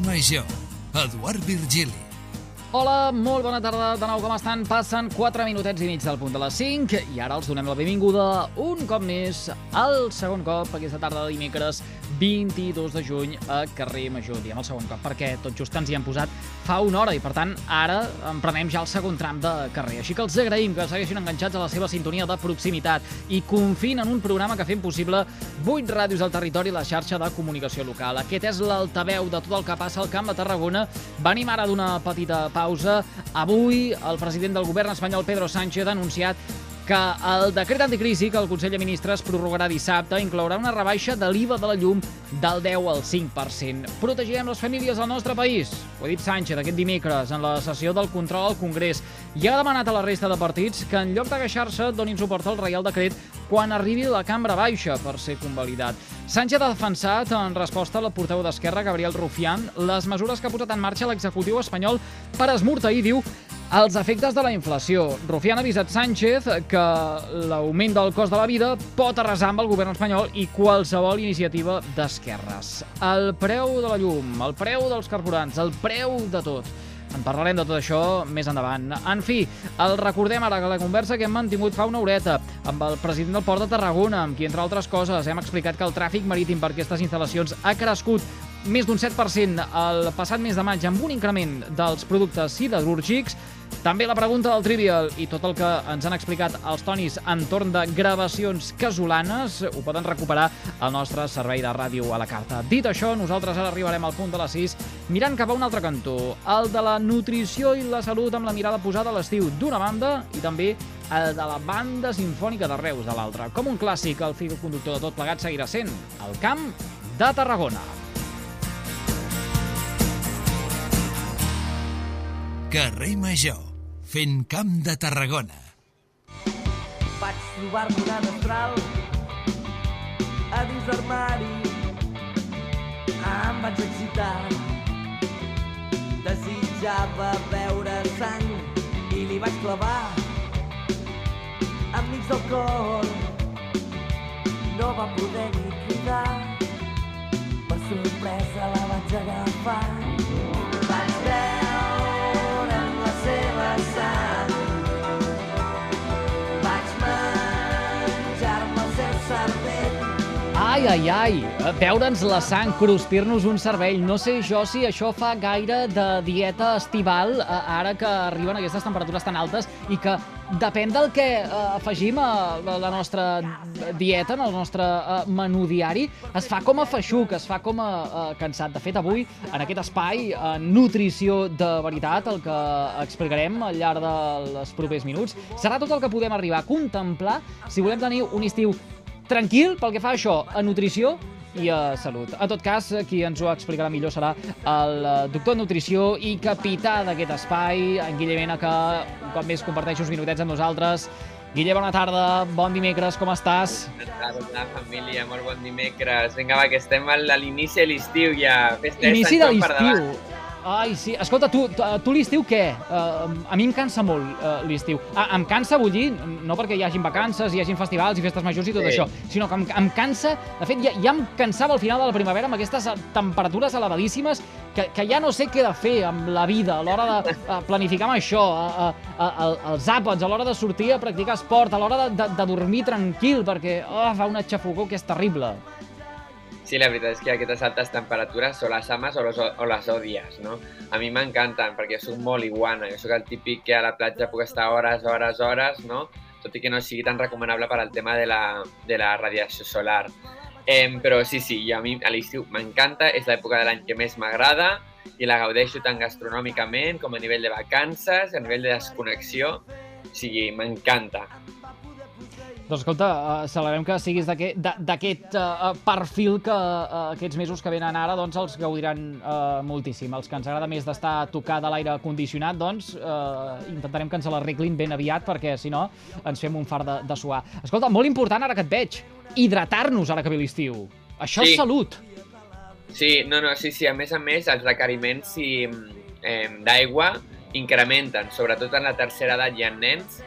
Major, Eduard Virgili. Hola, molt bona tarda, de nou com estan? Passen 4 minutets i mig del punt de les 5 i ara els donem la benvinguda un cop més, al segon cop aquesta tarda de dimecres 22 de juny a Carrer Major. Diem el segon cop perquè tot just ens hi hem posat fa una hora i per tant ara emprenem ja el segon tram de carrer. Així que els agraïm que segueixin enganxats a la seva sintonia de proximitat i confin en un programa que fem possible 8 ràdios al territori i la xarxa de comunicació local. Aquest és l'altaveu de tot el que passa al Camp de Tarragona. Venim ara d'una petita pausa. Avui el president del govern espanyol, Pedro Sánchez, ha anunciat que el decret anticrisi que el Consell de Ministres prorrogarà dissabte inclourà una rebaixa de l'IVA de la llum del 10 al 5%. Protegirem les famílies del nostre país. Ho ha dit Sánchez aquest dimecres en la sessió del control al Congrés i ha demanat a la resta de partits que en lloc de queixar-se donin suport al Reial Decret quan arribi a la cambra baixa per ser convalidat. Sánchez ha defensat, en resposta a la portaveu d'Esquerra, Gabriel Rufián, les mesures que ha posat en marxa l'executiu espanyol per esmorteir, diu, els efectes de la inflació. Rufián ha avisat Sánchez que l'augment del cost de la vida pot arrasar amb el govern espanyol i qualsevol iniciativa d'esquerres. El preu de la llum, el preu dels carburants, el preu de tot. En parlarem de tot això més endavant. En fi, el recordem ara que la conversa que hem mantingut fa una horeta amb el president del Port de Tarragona, amb qui, entre altres coses, hem explicat que el tràfic marítim per aquestes instal·lacions ha crescut més d'un 7% el passat mes de maig amb un increment dels productes siderúrgics. També la pregunta del Trivial i tot el que ens han explicat els Tonis entorn de gravacions casolanes ho poden recuperar al nostre servei de ràdio a la carta. Dit això, nosaltres ara arribarem al punt de les 6 mirant cap a un altre cantó, el de la nutrició i la salut amb la mirada posada a l'estiu d'una banda i també el de la banda simfònica de Reus de l'altra. Com un clàssic, el fil conductor de tot plegat seguirà sent el Camp de Tarragona. Carrer Major, fent Camp de Tarragona. Vaig trobar-me una destral a dins l'armari. Em vaig excitar. Desitjava veure sang i li vaig clavar enmig del cor. No va poder ni cridar. Per sorpresa la vaig agafar. Vaig veure en la seva sang. Vaig menjar-me el seu cervell. Ai, ai, ai, veure'ns la sang, cruspir-nos un cervell. No sé jo si això fa gaire de dieta estival, ara que arriben aquestes temperatures tan altes i que depèn del que afegim a la nostra dieta, en el nostre menú diari, es fa com a feixuc, es fa com a cansat. De fet, avui, en aquest espai, nutrició de veritat, el que explicarem al llarg dels propers minuts, serà tot el que podem arribar a contemplar si volem tenir un estiu tranquil pel que fa a això, a nutrició i a salut. En tot cas, qui ens ho explicarà millor serà el doctor en nutrició i capità d'aquest espai, en Guille Mena, que un cop més comparteix uns minutets amb nosaltres. Guille, bona tarda, bon dimecres, com estàs? Bona tarda, família, molt bon dimecres. Vinga, va, que estem a l'inici de l'estiu ja. Inici de l'estiu. Ai, sí. Escolta, tu l'estiu què? A mi em cansa molt l'estiu. Em cansa, vull dir, no perquè hi hagin vacances, hi hagin festivals i festes majors i tot això, sinó que em cansa, de fet, ja em cansava al final de la primavera amb aquestes temperatures elevadíssimes que ja no sé què de fer amb la vida a l'hora de planificar amb això, els àpats, a l'hora de sortir a practicar esport, a l'hora de dormir tranquil, perquè fa una xafogor que és terrible. Sí, la veritat és que aquestes altes temperatures o les ames o les odies, no? A mi m'encanten perquè soc molt iguana, jo soc el típic que a la platja puc estar hores, no? Tot i que no sigui tan recomanable per al tema de la radiació solar. Però sí, a mi a l'estiu m'encanta, és l'època de l'any que més m'agrada i la gaudeixo tant gastronòmicament com a nivell de vacances, a nivell de desconnexió, o sigui, m'encanta. Doncs escolta, celebrem que siguis d'aquest perfil que aquests mesos que venen ara doncs els gaudiran moltíssim. Els que ens agrada més d'estar tocat a l'aire condicionat, doncs intentarem que ens l'arreglin ben aviat perquè si no ens fem un fart de suar. Escolta, molt important ara que et veig, hidratar-nos ara que ve l'estiu. Això és salut. Sí, a més, els requeriments d'aigua incrementen, sobretot en la tercera edat i en nens,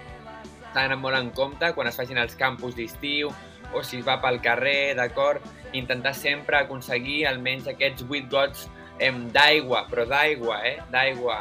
d'anar molt en compte quan es facin els campus d'estiu o si es va pel carrer, d'acord? Intentar sempre aconseguir almenys aquests 8 gots d'aigua, però d'aigua, d'aigua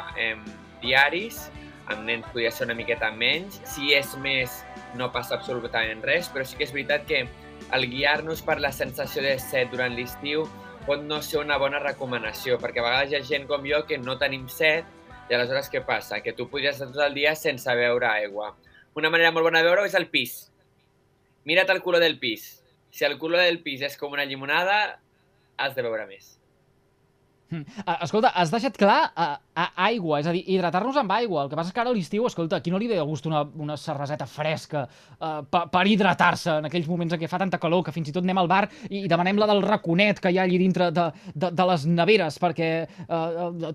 diaris, amb nens podria ser una miqueta menys. Si és més, no passa absolutament res, però sí que és veritat que el guiar-nos per la sensació de set durant l'estiu pot no ser una bona recomanació, perquè a vegades hi ha gent com jo que no tenim set, i aleshores què passa? Que tu podries estar tot el dia sense beure aigua. Una manera molt bona de veure-ho és el pis. Mira't el color del pis. Si el color del pis és com una llimonada, has de beure més. Escolta, has deixat clar aigua, és a dir, hidratar-nos amb aigua. El que passa és que ara a l'estiu, escolta, aquí no li ve de gust una cerveseta fresca per hidratar-se en aquells moments en què fa tanta calor que fins i tot anem al bar i demanem la del raconet que hi ha allí dintre de les neveres, perquè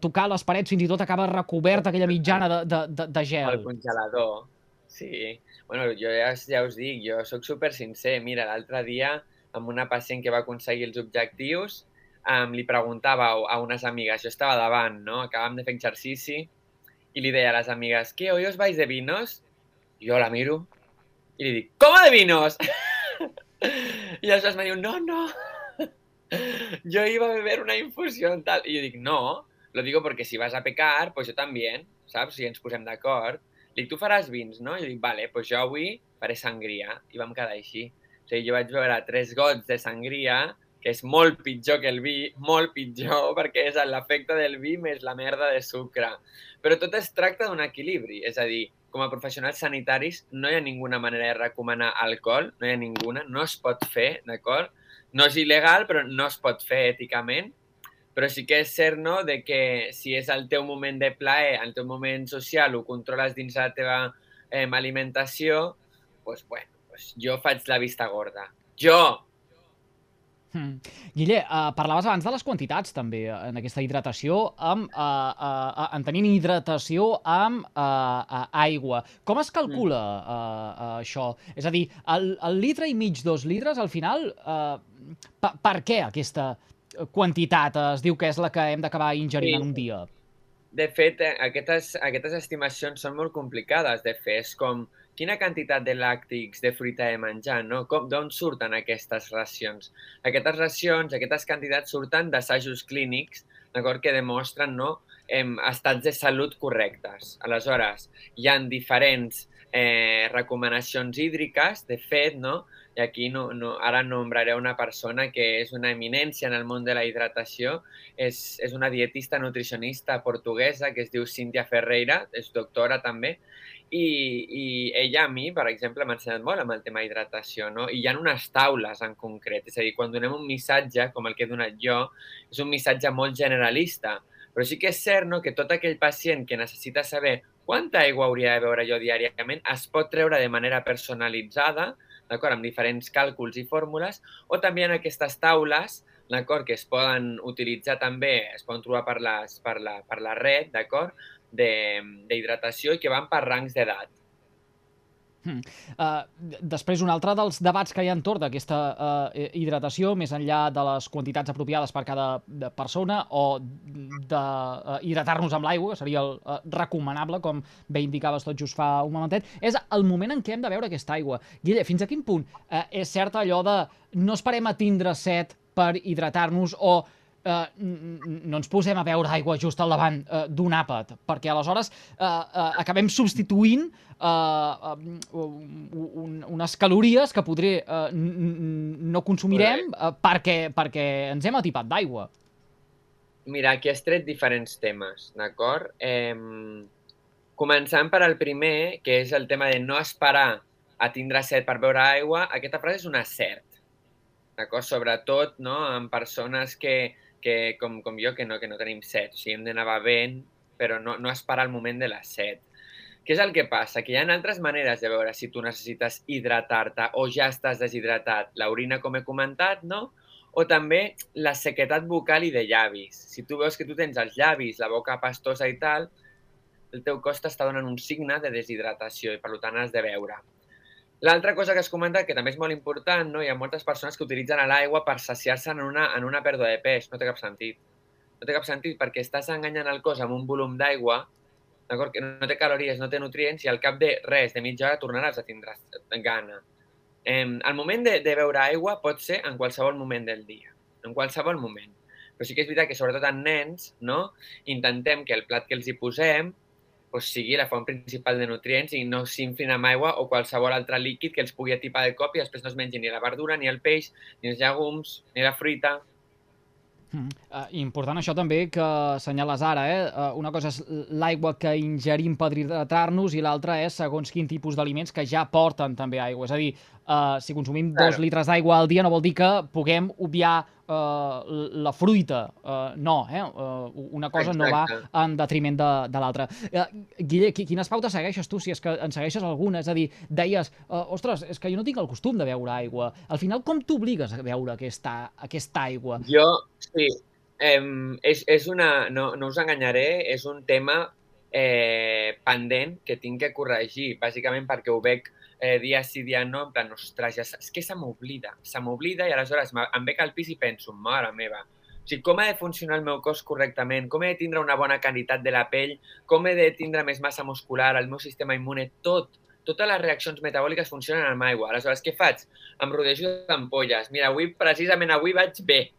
tocar les parets fins i tot acaba recoberta aquella mitjana de gel. El congelador, sí. Bueno, jo ja us dic, jo sóc super sincer. Mira, l'altre dia, amb una pacient que va aconseguir els objectius, li preguntava a unes amigues, jo estava davant, no? Acabàvem de fer exercici, i li deia a les amigues, ¿qué, hoy os vais de vinos? I jo la miro i li dic, ¿cómo de vinos? I aleshores me diu, no, yo iba a beber una infusión tal. I jo dic, no, lo digo porque si vas a pecar, pues yo también, saps? Si ens posem d'acord. Dic, tu faràs vins, no? I jo dic, vale, pues jo avui faré sangria. I vam quedar així. O sigui, jo vaig beure 3 gots de sangria, que és molt pitjor que el vi, molt pitjor, perquè és l'efecte del vi més la merda de sucre. Però tot es tracta d'un equilibri, és a dir, com a professionals sanitaris no hi ha ninguna manera de recomanar alcohol, no hi ha ninguna, no es pot fer, d'acord? No és il·legal, però no es pot fer èticament, però sí que és cert, no?, de que si és el teu moment de plaer, el teu moment social, ho controles dins la teva alimentació, doncs, bueno, jo faig la vista gorda. Jo! Guille, parlaves abans de les quantitats també en aquesta hidratació, en tenint hidratació amb aigua. Com es calcula això? És a dir, el litre i mig, 2 litres, al final, per què aquesta quantitat es diu que és la que hem d'acabar ingerint en un dia? De fet, aquestes estimacions són molt complicades de fer. És com quina quantitat de làctics de fruita he menjat, no? D'on surten aquestes racions? Aquestes racions, aquestes quantitats surten d'assajos clínics, d'acord, que demostren, no, estats de salut correctes. Aleshores, hi ha diferents recomanacions hídriques, de fet, no? I aquí ara nombraré una persona que és una eminència en el món de la hidratació. És una dietista nutricionista portuguesa que es diu Cíntia Ferreira, és doctora també, i ella a mi, per exemple, m'ha ensenyat molt amb el tema hidratació, no? I hi ha unes taules en concret, és a dir, quan donem un missatge, com el que he donat jo, és un missatge molt generalista, però sí que és cert, no?, que tot aquell pacient que necessita saber quanta aigua hauria de beure jo diàriament es pot treure de manera personalitzada, d'acord, amb diferents càlculs i fórmules, o també en aquestes taules, d'acord, que es poden utilitzar també, es poden trobar per la red, d'acord, d'hidratació i que van per rangs d'edat. Després, un altre dels debats que hi ha entorn d'aquesta hidratació, més enllà de les quantitats apropiades per cada persona o d'hidratar-nos amb l'aigua, que seria el recomanable, com bé indicaves tot just fa un momentet, és el moment en què hem de beure aquesta aigua. Guille, fins a quin punt és cert allò de no esperem a tindre set per hidratar-nos o no ens posem a beure aigua just al davant d'un àpat, perquè aleshores acabem substituint unes calories que potser no consumirem perquè ens hem atipat d'aigua. Mira, aquí has tret diferents temes, d'acord? Començant per el primer, que és el tema de no esperar a tindre set per beure aigua. Aquesta frase és un acert, d'acord? Sobretot, no?, en persones que com jo, que no tenim set. O sigui, hem d'anar bevent, però no esperar el moment de la set. Què és el que passa? Que hi ha altres maneres de veure si tu necessites hidratar-te o ja estàs deshidratat. L'orina, com he comentat, no? O també la sequedat bucal i de llavis. Si tu veus que tu tens els llavis, la boca pastosa i tal, el teu cos t'està donant un signe de deshidratació i per tant has de beure. L'altra cosa que has comentat, que també és molt important, no? Hi ha moltes persones que utilitzen l'aigua per saciar-se en una pèrdua de pes. No té cap sentit. No té cap sentit perquè estàs enganyant el cos amb un volum d'aigua, d'acord, que no té calories, no té nutrients, i al cap de res, de mitja hora, tornaràs a tindre gana. El moment de beure aigua pot ser en qualsevol moment del dia, en qualsevol moment. Però sí que és veritat que, sobretot en nens, no? Intentem que el plat que els hi posem sigui la font principal de nutrients i no s'inflin amb aigua o qualsevol altre líquid que els pugui atipar de cop i després no es mengi ni la verdura, ni el peix, ni els llegums, ni la fruita. Important això també que assenyales ara, una cosa és l'aigua que ingerim per hidratar-nos i l'altra és segons quin tipus d'aliments que ja porten també aigua. És a dir, si consumim 2 litres d'aigua al dia no vol dir que puguem obviar la fruita. No, una cosa no va en detriment de l'altra. Guille, quines pautes segueixes tu, si és que en segueixes alguna? És a dir, deies, ostres, és que jo no tinc el costum de beure aigua. Al final, com t'obligues a beure aquesta aigua? Jo, sí. No us enganyaré, és un tema pendent que tinc que corregir, bàsicament perquè ho veig dia sí, dia no, en plan, ostres, és que se m'oblida i aleshores em veig al pis i penso, mare meva, o sigui, com ha de funcionar el meu cos correctament, com he de tindre una bona qualitat de la pell, com he de tindre més massa muscular, el meu sistema immune, totes les reaccions metabòliques funcionen amb aigua. Aleshores, què faig? Em rodejo d'ampolles. Mira, precisament avui vaig bé.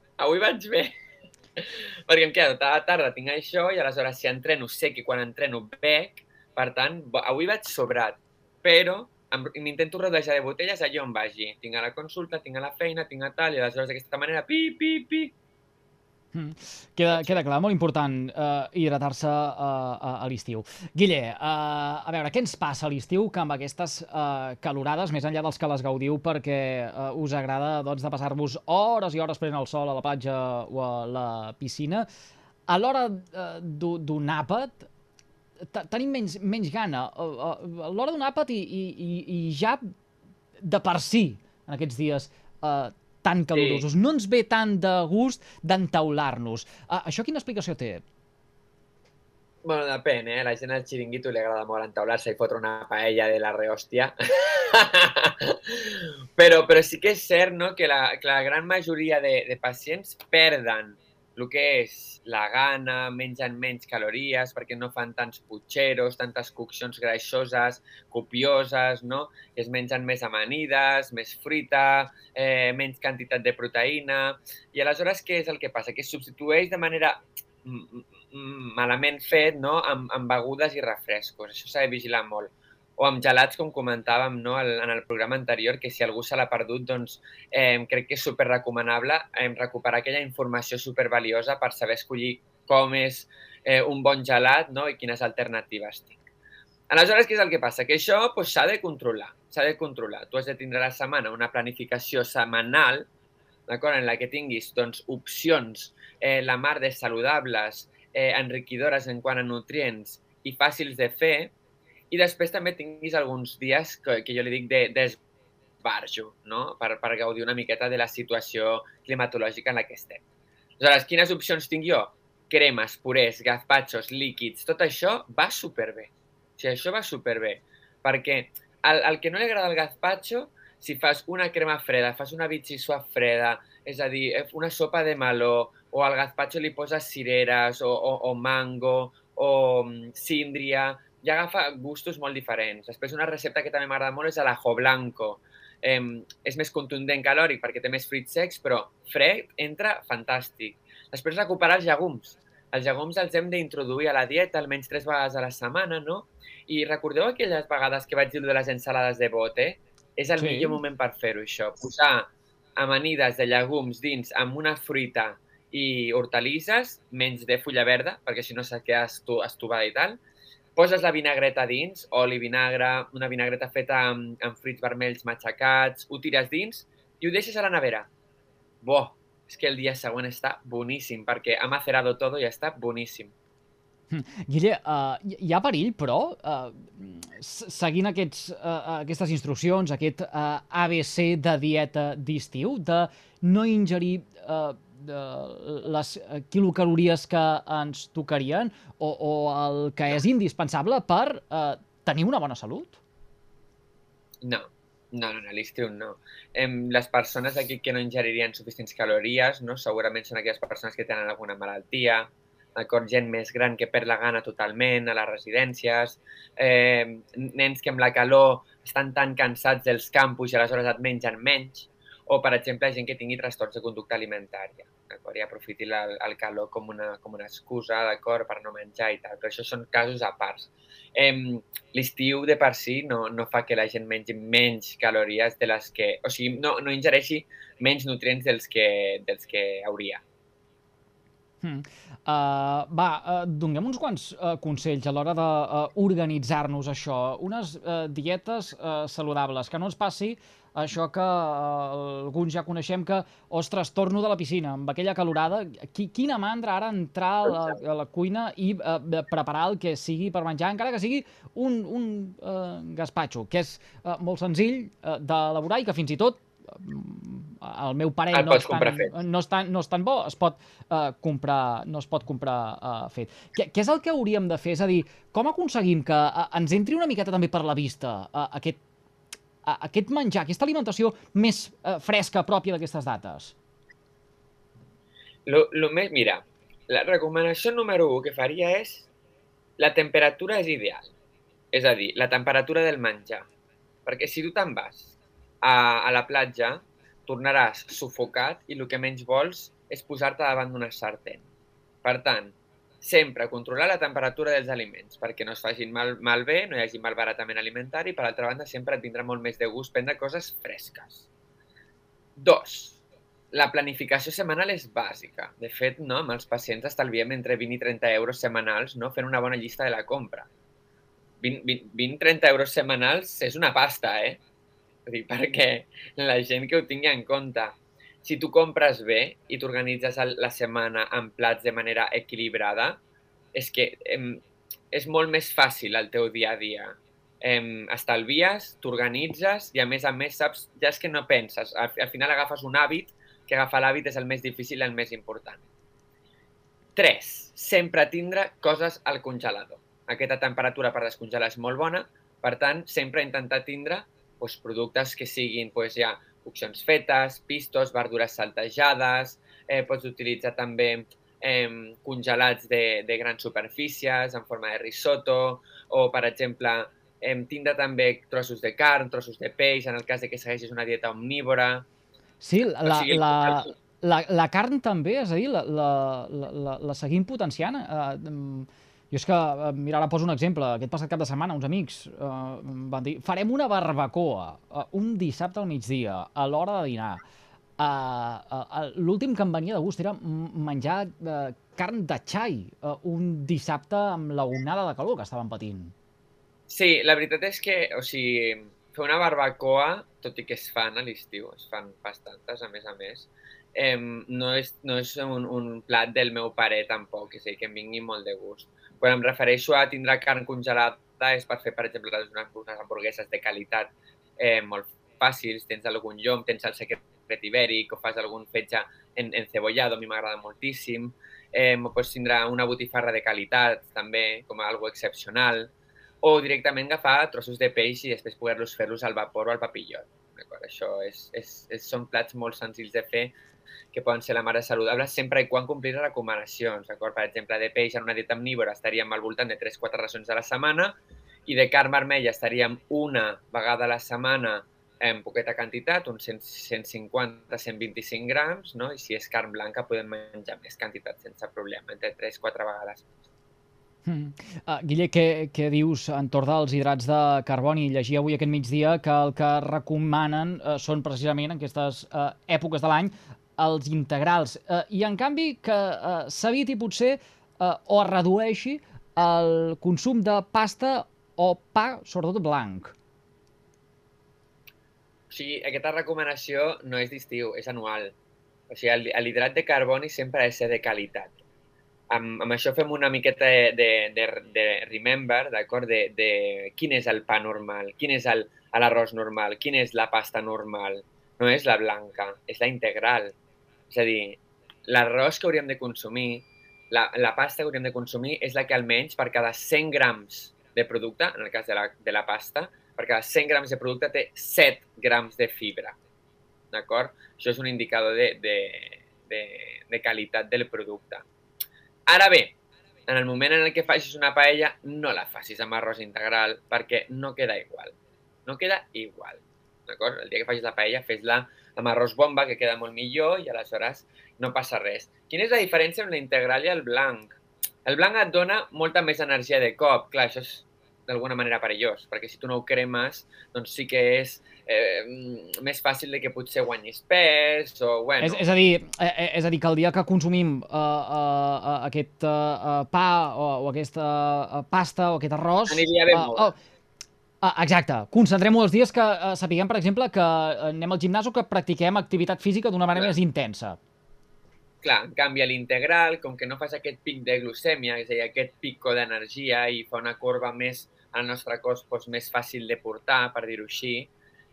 Perquè em quedo tota la tarda, tinc això, i aleshores si entreno sé que quan entreno bec, per tant, avui vaig sobrat, però m'intento rodejar de botelles allà on vagi. Tinc a la consulta, tinc a la feina, tinc a tal, i aleshores d'aquesta manera, pi. Queda clar, molt important hidratar-se a l'estiu. Guille, a veure, què ens passa a l'estiu que amb aquestes calorades, més enllà dels que les gaudiu perquè us agrada de passar-vos hores i hores prenent el sol a la platja o a la piscina, a l'hora d'un àpat tenim menys gana. A l'hora d'un àpat i ja de per si en aquests dies tan calorosos. No ens ve tant de gust d'entaular-nos. Això quina explicació té? Bueno, depèn, La gent al xiringuito li agrada molt entaular-se i fotre una paella de la rehòstia. Però sí que és cert, no?, que la gran majoria de pacients perden el que és la gana, mengen menys calories perquè no fan tants putxeros, tantes coccions greixoses, copioses, no? Es mengen més amanides, més fruita, menys quantitat de proteïna. I aleshores què és el que passa? Que es substitueix de manera malament fet, no?, amb begudes i refrescos. Això s'ha de vigilar molt. O amb gelats, com comentàvem, no?, en el programa anterior, que si algú se l'ha perdut, doncs crec que és superrecomanable recuperar aquella informació supervaliosa per saber escollir com és un bon gelat, no?, i quines alternatives tinc. Aleshores, què és el que passa? Que això s'ha de controlar. Tu has de tindre a la setmana una planificació setmanal, d'acord, en la que tinguis opcions la mar de saludables, enriquidores en quant a nutrients i fàcils de fer, i després també tinguis alguns dies que jo li dic d'esbarjo, no?, per gaudir una miqueta de la situació climatològica en la que estem. Aleshores, quines opcions tinc jo? Cremes, purés, gazpachos, líquids, tot això va superbé. O sigui, això va superbé. Perquè al que no li agrada el gazpacho, si fas una crema freda, fas una vichy-soap freda, és a dir, una sopa de meló, o al gazpacho li poses cireres, o mango, o síndria, ja agafa gustos molt diferents. Després, una recepta que també m'agrada molt és l'ajo blanco. És més contundent calòric perquè té més fruits secs, però fred entra fantàstic. Després, recuperar els llegums. Els llegums els hem d'introduir a la dieta almenys 3 vegades a la setmana, no? I recordeu aquelles vegades que vaig dir de les ensalades de bote? És el millor moment per fer-ho, això. Posar amanides de llegums dins amb una fruita i hortalisses, menys de fulla verda, perquè si no se queda estovada i tal. Poses la vinagreta dins, oli, vinagre, una vinagreta feta amb fruits vermells matxacats, ho tires dins i ho deixes a la nevera. És que el dia següent està boníssim, perquè ha macerado todo i està boníssim. Guille, hi ha perill, però, seguint aquestes instruccions, aquest ABC de dieta d'estiu, de no ingerir les quilocalories que ens tocarien o el que és indispensable per tenir una bona salut? No, a l'estiu no. Les persones aquí que no ingeririen suficients calories, no, segurament són aquelles persones que tenen alguna malaltia, gent més gran que perd la gana totalment a les residències, nens que amb la calor estan tan cansats dels campus i aleshores et mengen menys, o, per exemple, gent que tingui trastorns de conducta alimentària. d'acord? I aprofiti el calor com una excusa, d'acord, per no menjar i tal. Però això són casos a part. L'estiu de per si no fa que la gent mengi menys calories de les que... O sigui, no ingereixi menys nutrients dels que hauria. Donem uns quants consells a l'hora d'organitzar-nos això. Unes dietes saludables, que no ens passi això que alguns ja coneixem que, ostres, torno de la piscina amb aquella calorada. Quina mandra ara entrar a la cuina i preparar el que sigui per menjar, encara que sigui un gaspatxo, que és molt senzill d'elaborar i que fins i tot el meu pare no és tan bo, es pot comprar fet. Què és el que hauríem de fer? És a dir, com aconseguim que ens entri una miqueta també per la vista aquest menjar, aquesta alimentació més fresca, pròpia d'aquestes dates? Mira, la recomanació número 1 que faria és la temperatura és ideal. És a dir, la temperatura del menjar. Perquè si tu te'n vas a la platja, tornaràs sufocat i el que menys vols és posar-te davant d'una sartén. Per tant, sempre controlar la temperatura dels aliments perquè no es facin malbé, no hi hagi malbaratament alimentari i, per altra banda, sempre et vindrà molt més de gust prendre coses fresques. 2. La planificació setmanal és bàsica. De fet, amb els pacients estalviem entre 20 i 30 euros setmanals fent una bona llista de la compra. 20-30 euros setmanals és una pasta, perquè la gent que ho tingui en compte. Si tu compres bé i t'organitzes la setmana amb plats de manera equilibrada, és que és molt més fàcil el teu dia a dia. Estalvies, t'organitzes i a més saps, ja és que no penses. Al final agafes un hàbit, que agafar l'hàbit és el més difícil i el més important. 3. Sempre tindre coses al congelador. Aquesta temperatura per descongelar és molt bona, per tant, sempre intentar tindre productes que siguin ja coccions fetes, pistos, verdures saltejades, pots utilitzar també congelats de grans superfícies en forma de risotto o, per exemple, tindre també trossos de carn, trossos de peix, en el cas que segueixis una dieta omnívora. Sí, la carn també, és a dir, la seguim potenciant. Jo és que, mira, ara poso un exemple. Aquest passat cap de setmana, uns amics van dir farem una barbacoa un dissabte al migdia, a l'hora de dinar. L'últim que em venia de gust era menjar carn de xai un dissabte amb la onada de calor que estàvem patint. Sí, la veritat és que, fer una barbacoa, tot i que es fan a l'estiu, es fan bastantes, a més, no és un plat del meu pare tampoc, és a dir, que em vingui molt de gust. Quan em refereixo a tindre carn congelada és per fer, per exemple, unes hamburgueses de qualitat molt fàcils, tens algun llom, tens el secret ibèric o fas algun fetge encebollado, a mi m'agrada moltíssim. Pots tindre una botifarra de qualitat, també, com a algo excepcional, o directament agafar trossos de peix i després poder-los fer-los al vapor o al papillot. Això són plats molt senzills de fer que poden ser la mare saludables sempre i quan complir les recomanacions. Per exemple, de peix en una dieta omnívora estaríem al voltant de 3-4 racions a la setmana i de carn vermella estaríem una vegada a la setmana en poqueta quantitat, uns 150-125 grams, i si és carn blanca podem menjar més quantitat sense problema, entre 3-4 vegades. Guille, què dius entorn dels hidrats de carboni? Llegia avui aquest migdia que el que recomanen són precisament en aquestes èpoques de l'any els integrals i en canvi que s'eviti potser o es redueixi el consum de pasta o pa, sobretot blanc. Aquesta recomanació no és d'estiu, és anual. L'hidrat de carboni sempre ha de ser de qualitat. Amb això fem una miqueta de remember, d'acord, de quin és el pa normal, quin és l'arròs normal, quina és la pasta normal. No és la blanca, és la integral. És a dir, l'arròs que hauríem de consumir, la pasta que hauríem de consumir és la que almenys per cada 100 grams de producte, en el cas de la pasta, per cada 100 grams de producte té 7 grams de fibra. D'acord? Això és un indicador de qualitat del producte. Ara bé, en el moment en què facis una paella, no la facis amb arròs integral perquè no queda igual. No queda igual. D'acord? El dia que facis la paella, fes-la amb arròs bomba, que queda molt millor, i aleshores no passa res. Quina és la diferència amb la integral i el blanc? El blanc et dona molta més energia de cop. Clar, això és d'alguna manera perillós, perquè si tu no ho cremes, doncs sí que és més fàcil de que potser guanyis pes o, bueno... És a dir, que el dia que consumim aquest pa o aquesta pasta o aquest arròs... Aniria bé molt. Exacte. Concentrem-ho els dies que sapiguem, per exemple, que anem al gimnàs o que practiquem activitat física d'una manera més intensa. Clar, en canvi, l'integral, com que no fas aquest pic de glucèmia, és a dir, aquest pico d'energia i fa una corba més al nostre cos més fàcil de portar, per dir-ho així,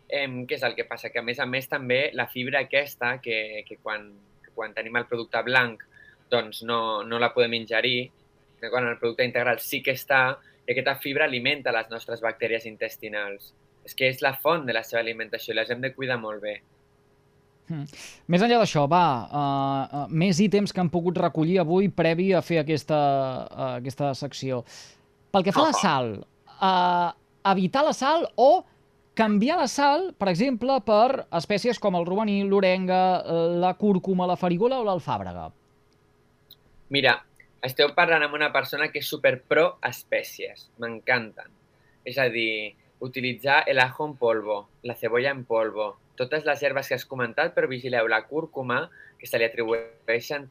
què és el que passa? Que, a més, també la fibra aquesta, que quan tenim el producte blanc doncs no la podem ingerir, que quan el producte integral sí que està, i aquesta fibra alimenta les nostres bactèries intestinals. És que és la font de la seva alimentació i les hem de cuidar molt bé. Més enllà d'això, més ítems que han pogut recollir avui previ a fer aquesta secció. Pel que fa a la sal, evitar la sal o canviar la sal, per exemple, per espècies com el romaní, l'orenga, la cúrcuma, la farigola o l'alfàbrega. Mira, esteu parlant amb una persona que és super pro espècies. M'encanten. És a dir, utilitzar el ajo en polvo, la cebolla en polvo, totes les herbes que has comentat, però vigileu, la cúrcuma, que se li atribueixen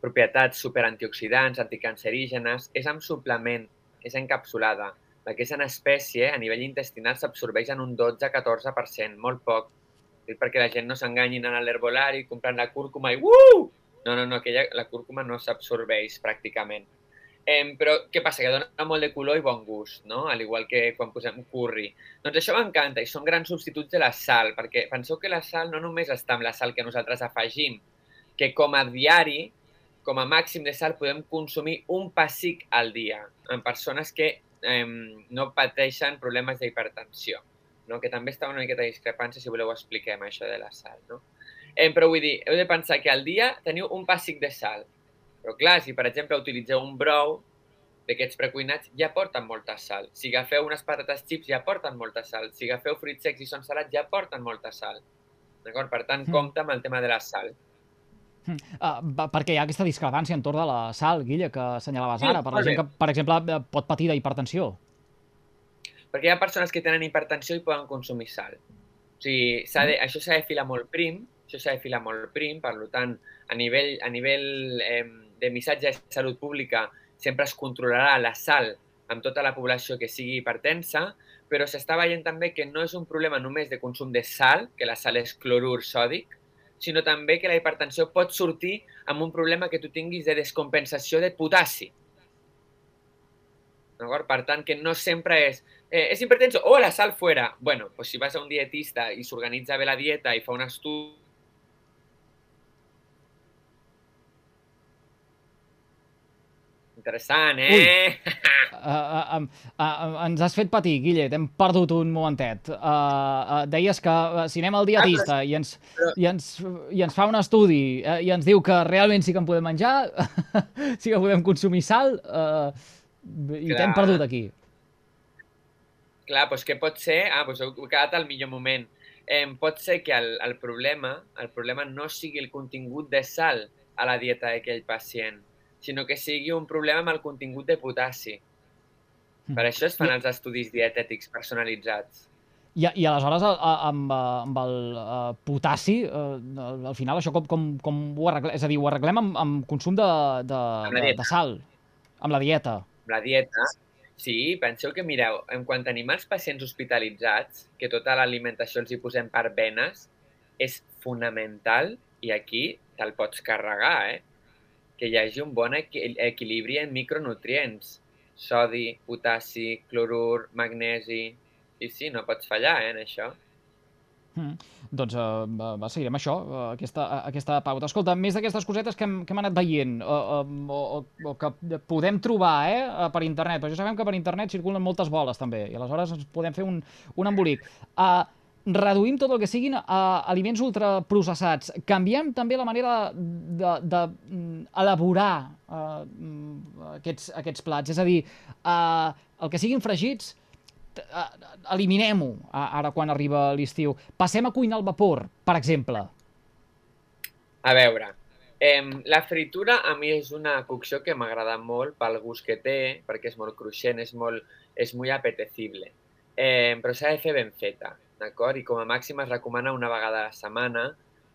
propietats superantioxidants, anticancerígenes, és en suplement, és encapsulada. La que és en espècie, a nivell intestinal, s'absorbeix en un 12-14%, molt poc. Perquè la gent no s'enganyi anant a l'herbolari, comprant la cúrcuma i No, la cúrcuma no s'absorbeix pràcticament. Però què passa? Que dona molt de color i bon gust, no? Al igual que quan posem curri. Doncs això m'encanta i són grans substituts de la sal, perquè penseu que la sal no només està amb la sal que nosaltres afegim, que com a diari, com a màxim de sal, podem consumir un pessic al dia en persones que no pateixen problemes d'hipertensió, no? Que també està una miqueta de discrepància, si voleu expliquem això de la sal, no? Però vull dir, heu de pensar que al dia teniu un pessic de sal. Però clar, si per exemple utilitzeu un brou d'aquests precuinats, ja porten molta sal. Si agafeu unes patates xips, ja porten molta sal. Si agafeu fruits secs i són salats, ja porten molta sal. D'acord? Per tant, compte amb el tema de la sal. Perquè hi ha aquesta discrepància entorn de la sal, Guilla, que assenyalaves ara, per la gent que, per exemple, pot patir d'hipertensió. Perquè hi ha persones que tenen hipertensió i poden consumir sal. O sigui, això s'ha de filar molt prim, per tant, a nivell de missatge de salut pública sempre es controlarà la sal amb tota la població que sigui hipertensa, però s'està veient també que no és un problema només de consum de sal, que la sal és clorur sòdic, sinó també que la hipertensió pot sortir amb un problema que tu tinguis de descompensació de potassi. Per tant, que no sempre és hipertenso, la sal fuera. Bueno, pues si vas a un dietista i s'organitza bé la dieta i fa un estudi... Interessant, ens has fet patir, Guille, t'hem perdut un momentet. Deies que si anem al dietista i ens fa un estudi i ens diu que realment sí que en podem menjar, sí que podem consumir sal, i t'hem perdut aquí. Clar, doncs què pot ser? Doncs heu quedat al millor moment. Pot ser que el problema no sigui el contingut de sal a la dieta d'aquell pacient, sinó que sigui un problema amb el contingut de potassi. Per això es fan els estudis dietètics personalitzats. I aleshores, amb el potassi, al final això com ho arreglem? És a dir, ho arreglem amb consum de sal, amb la dieta. Amb la dieta, sí. Penseu que, mireu, quan tenim els pacients hospitalitzats, que tota l'alimentació els hi posem per venes, és fonamental, i aquí te'l pots carregar, que hi hagi un bon equilibri en micronutrients. Sodi, potassi, clorur, magnesi... I sí, no pots fallar, en això. Doncs seguirem això, aquesta pauta. Escolta, més d'aquestes cosetes que hem anat veient o que podem trobar per internet, però ja sabem que per internet circulen moltes boles també, i aleshores ens podem fer un embolic. Reduïm tot el que siguin aliments ultraprocessats. Canviem també la manera d'elaborar aquests plats. És a dir, el que siguin fregits, eliminem-ho ara quan arriba l'estiu. Passem a cuinar al vapor, per exemple. A veure, La fritura a mi és una cocció que m'agrada molt pel gust que té, perquè és molt cruixent, és molt apetecible. Però s'ha de fer ben feta, d'acord? I com a màxim es recomana una vegada a la setmana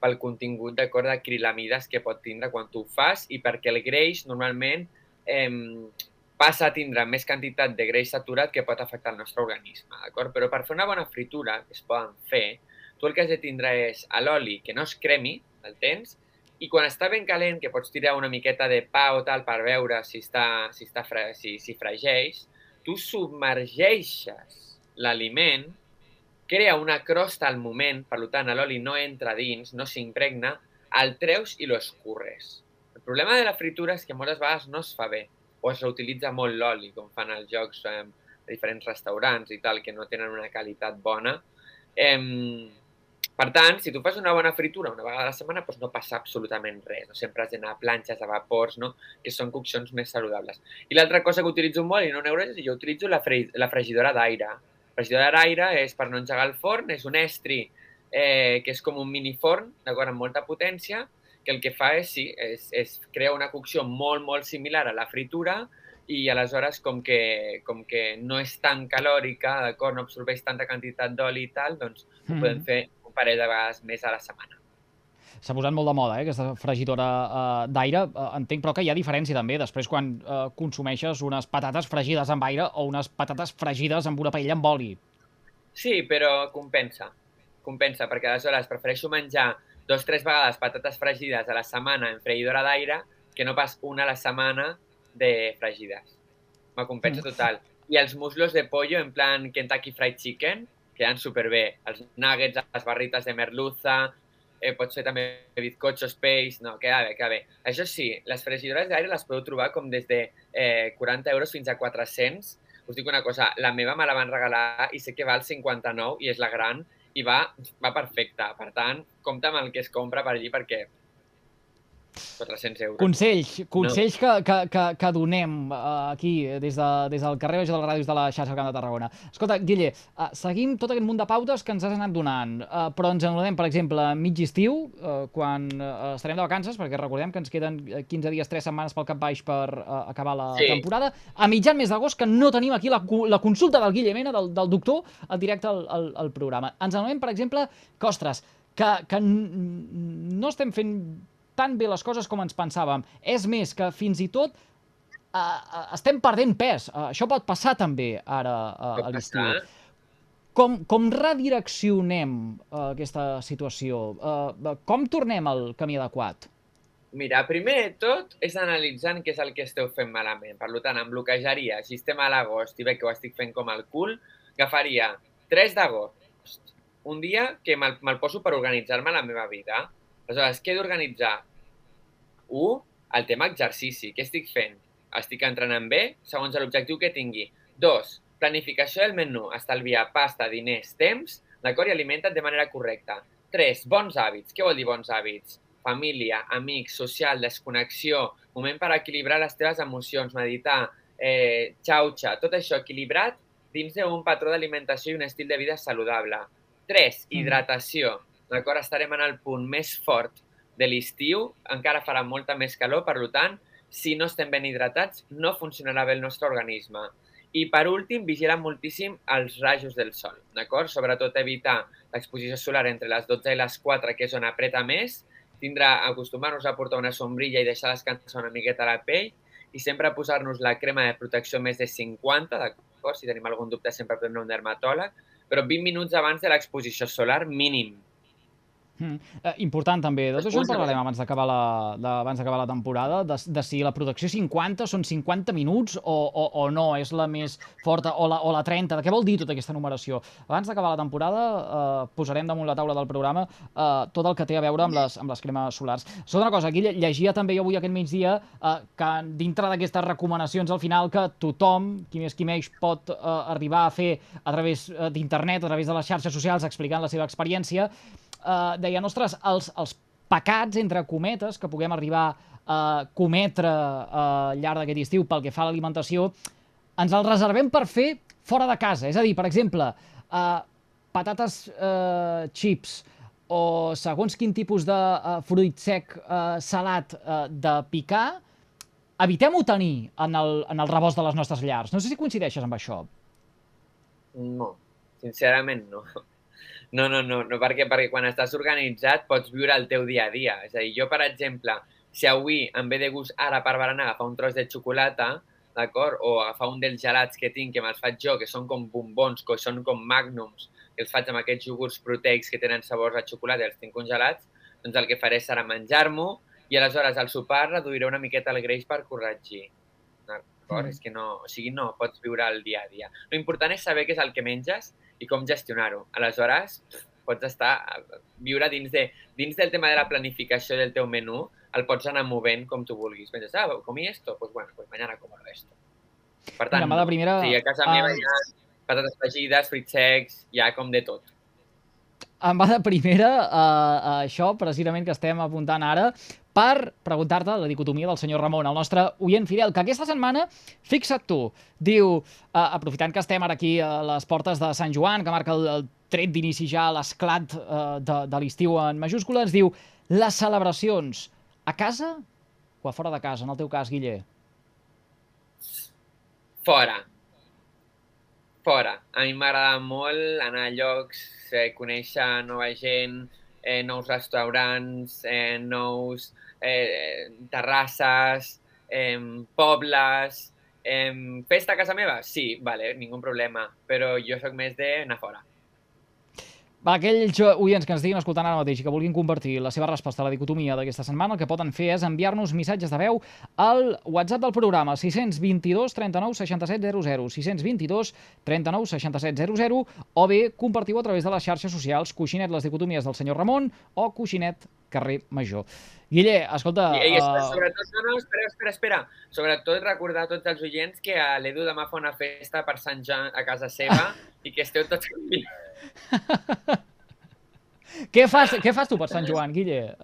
pel contingut, d'acord, d'acrilamides que pot tindre quan tu ho fas i perquè el greix normalment passa a tindre més quantitat de greix saturat que pot afectar el nostre organisme, d'acord? Però per fer una bona fritura, que es poden fer, tu el que has de tindre és l'oli que no es cremi, el tens, i quan està ben calent, que pots tirar una miqueta de pa o tal per veure si fregeix, tu submergeixes l'aliment, crea una crosta al moment, per tant l'oli no entra dins, no s'impregna, el treus i lo escurres. El problema de la fritura és que moltes vegades no es fa bé, o es reutilitza molt l'oli, com fan els jocs de diferents restaurants i tal, que no tenen una qualitat bona. Per tant, si tu fas una bona fritura una vegada a la setmana, doncs no passa absolutament res. No sempre has d'anar a planxes, a vapors, no? Que són coccions més saludables. I l'altra cosa que utilitzo molt, i no n'hauré, jo utilitzo la fregidora d'aire. La fregidora d'aire és per no engegar el forn, és un estri que és com un miniforn, d'acord, amb molta potència, que el que fa és crear una cocció molt, molt similar a la fritura i aleshores, com que no és tan calòrica, d'acord, no absorbeix tanta quantitat d'oli i tal, doncs ho podem fer un parell de vegades més a la setmana. S'ha posat molt de moda, aquesta fregidora d'aire. Entenc, però, que hi ha diferència també després quan consumeixes unes patates fregides amb aire o unes patates fregides amb una paella amb oli. Sí, però compensa, perquè aleshores prefereixo menjar 2 o 3 vegades patates fregides a la setmana en freïdora d'aire que no pas una a la setmana de fregides. Me compensa total. I els muslos de pollo en plan Kentucky Fried Chicken queden superbé. Els nuggets, les barrites de merluza, pot ser també bizcochos, peix, no, queda bé. Això sí, les fregidores d'aire les podeu trobar com des de 40 euros fins a 400. Us dic una cosa, la meva me la van regalar i sé que val 59 i és la gran i va perfecta. Per tant, compta amb el que es compra per allí perquè 400 euros. Consells que donem aquí, des del carrer Major de les Ràdios de la xarxa Camp de Tarragona. Escolta, Guille, seguim tot aquest munt de pautes que ens has anat donant, però ens en donem, per exemple, mig estiu, quan estarem de vacances, perquè recordem que ens queden 15 dies, 3 setmanes pel cap baix per acabar la temporada. A mitjan mes d'agost, que no tenim aquí la consulta del Guille Mena, del doctor, al directe al programa. Ens en donem, per exemple, que, ostres, que no estem fent tan bé les coses com ens pensàvem. És més, que fins i tot estem perdent pes. Això pot passar també ara a l'estiu. Com redireccionem aquesta situació? Com tornem al camí adequat? Mira, primer de tot és analitzant què és el que esteu fent malament. Per tant, em bloquejaria, si estem a l'agost i veig que ho estic fent com el cul, agafaria 3 d'agost, un dia que me'l poso per organitzar-me la meva vida. Aleshores, què he d'organitzar? 1. El tema exercici. Què estic fent? Estic entrenant bé, segons l'objectiu que tingui. 2. Planificació del menú. Estalviar pasta, diners, temps, d'acord? I alimenta't de manera correcta. 3. Bons hàbits. Què vol dir bons hàbits? Família, amics, social, desconnexió, moment per equilibrar les teves emocions, meditar, xauxa, tot això equilibrat dins d'un patró d'alimentació i un estil de vida saludable. 3. Hidratació. D'acord? Estarem en el punt més fort de l'estiu, encara farà molta més calor, per tant, si no estem ben hidratats, no funcionarà bé el nostre organisme. I, per últim, vigilar moltíssim els rajos del sol, d'acord? Sobretot evitar l'exposició solar entre les 12 i les 4, que és on apreta més, acostumar-nos a portar una sombrilla i deixar descansar una miqueta la pell, i sempre posar-nos la crema de protecció més de 50, d'acord? Si tenim algun dubte, sempre prendre un dermatòleg, però 20 minuts abans de l'exposició solar mínim. Important també, de tot això en parlarem abans d'acabar la temporada, de si la protecció 50 són 50 minuts o no, és la més forta, o la 30, de què vol dir tota aquesta numeració? Abans d'acabar la temporada posarem damunt la taula del programa tot el que té a veure amb les cremes solars. Segona cosa, aquí llegia també jo avui aquest migdia que dintre d'aquestes recomanacions al final que tothom, qui més qui menys, pot arribar a fer a través d'internet, a través de les xarxes socials, explicant la seva experiència, deien, ostres, els pecats, entre cometes, que puguem arribar a cometre al llarg d'aquest estiu pel que fa a l'alimentació, ens els reservem per fer fora de casa. És a dir, per exemple, patates chips, o segons quin tipus de fruit sec salat de picar, evitem-ho tenir en el rebost de les nostres llars. No sé si coincideixes amb això. No, sincerament no. No, perquè quan estàs organitzat pots viure el teu dia a dia. És a dir, jo, per exemple, si avui em ve de gust ara per berenar agafar un tros de xocolata, d'acord? O agafar un dels gelats que tinc, que me'ls faig jo, que són com bombons, que són com magnums, que els faig amb aquests iogurts proteics que tenen sabors a xocolata i els tinc congelats, doncs el que faré serà menjar-m'ho i aleshores al sopar reduiré una miqueta el greix per corregir. D'acord? És que no, o sigui, no pots viure el dia a dia. L'important és saber què és el que menges i com gestionar-ho. Aleshores, pots viure dins del tema de la planificació del teu menú, el pots anar movent com tu vulguis. Penses, comí esto? Pues bueno, pues mañana como el resto. Per tant, Mira, primera, sí, a casa meva hi ha patates fregides, fruits secs, hi ha com de tot. Em va de primera això, precisament, que estem apuntant ara, per preguntar-te la dicotomia del senyor Ramon, el nostre oient fidel, que aquesta setmana, fixa't tu, diu, aprofitant que estem ara aquí a les portes de Sant Joan, que marca el tret d'inici ja l'esclat de l'estiu en majúscules, diu, les celebracions a casa o a fora de casa, en el teu cas, Guille? Fora. A mi m'agrada molt anar a llocs, conèixer nova gent, nous restaurants, nous terrasses, pobles. Festa a casa meva? Sí, vale, ningú problema, però jo sóc més d'anar fora. Va, aquells oients que ens estiguin escoltant ara mateix i que vulguin compartir la seva resposta a la dicotomia d'aquesta setmana, el que poden fer és enviar-nos missatges de veu al WhatsApp del programa 622 39 67 00, 622 39 67 00, o bé compartiu a través de les xarxes socials Coixinet les dicotomies del senyor Ramon o Coixinet carrer Major. Guille, escolta... Sobretot, espera. Sobretot recordar a tots els oients que l'Edu demà fa una festa per Sant Joan a casa seva i que esteu tots convidats. Què fas tu per Sant Joan, Guille?